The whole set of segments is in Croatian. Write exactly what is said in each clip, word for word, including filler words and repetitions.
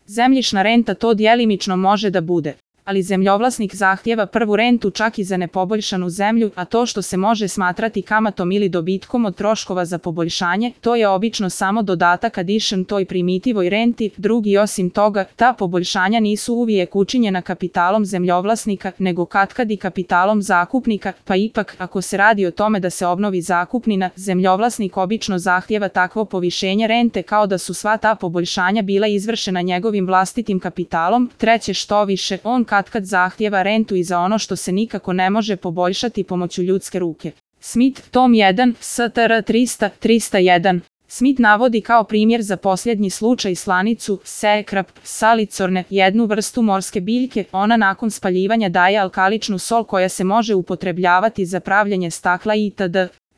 Zemljišna renta to djelimično može da bude, ali zemljovlasnik zahtjeva prvu rentu čak i za nepoboljšanu zemlju, a to što se može smatrati kamatom ili dobitkom od troškova za poboljšanje, to je obično samo dodatak addition toj primitivoj renti. Drugi, osim toga, ta poboljšanja nisu uvijek učinjena kapitalom zemljovlasnika, nego katkad i kapitalom zakupnika, pa ipak, ako se radi o tome da se obnovi zakupnina, zemljovlasnik obično zahtjeva takvo povišenje rente kao da su sva ta poboljšanja bila izvršena njegovim vlastitim kapitalom. Treće, što više, on katkad zahtjeva rentu i za ono što se nikako ne može poboljšati pomoću ljudske ruke. Smith, tom jedan, S T R trista, trista jedan. Smith navodi kao primjer za posljednji slučaj slanicu, sekrap, salicorne, jednu vrstu morske biljke. Ona nakon spaljivanja daje alkaličnu sol koja se može upotrebljavati za pravljenje stakla itd.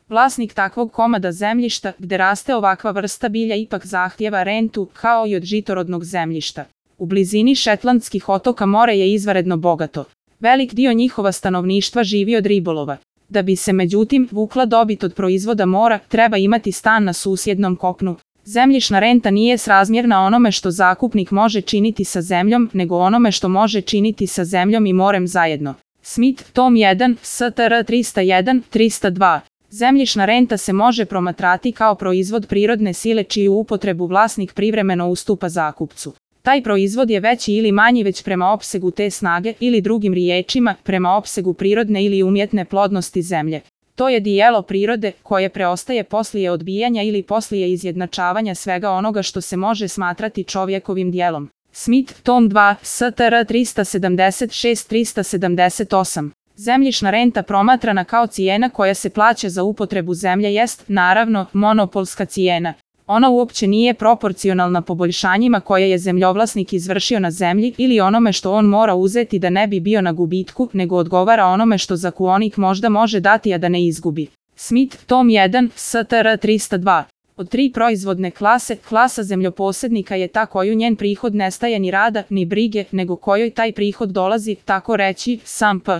Vlasnik takvog komada zemljišta, gde raste ovakva vrsta bilja, ipak zahtjeva rentu, kao i od žitorodnog zemljišta. U blizini Šetlandskih otoka more je izvanredno bogato. Velik dio njihova stanovništva živi od ribolova. Da bi se međutim vukla dobit od proizvoda mora, treba imati stan na susjednom kopnu. Zemljišna renta nije srazmjerna onome što zakupnik može činiti sa zemljom, nego onome što može činiti sa zemljom i morem zajedno. Smith, tom jedan, S T R trista jedan, trista dva. Zemljišna renta se može promatrati kao proizvod prirodne sile čiju upotrebu vlasnik privremeno ustupa zakupcu. Taj proizvod je veći ili manji već prema opsegu te snage, ili drugim riječima, prema opsegu prirodne ili umjetne plodnosti zemlje. To je dijelo prirode koje preostaje poslije odbijanja ili poslije izjednačavanja svega onoga što se može smatrati čovjekovim dijelom. Smith, tom dva, S T R trista sedamdeset šest, trista sedamdeset osam. Zemljišna renta promatrana kao cijena koja se plaća za upotrebu zemlje jest, naravno, monopolska cijena. Ona uopće nije proporcionalna poboljšanjima koje je zemljovlasnik izvršio na zemlji ili onome što on mora uzeti da ne bi bio na gubitku, nego odgovara onome što zakuonik možda može dati a da ne izgubi. Smith, tom jedan, S T R trista dva. Od tri proizvodne klase, klasa zemljoposjednika je ta koju njen prihod nestaje ni rada, ni brige, nego kojoj taj prihod dolazi, tako reći, sam p.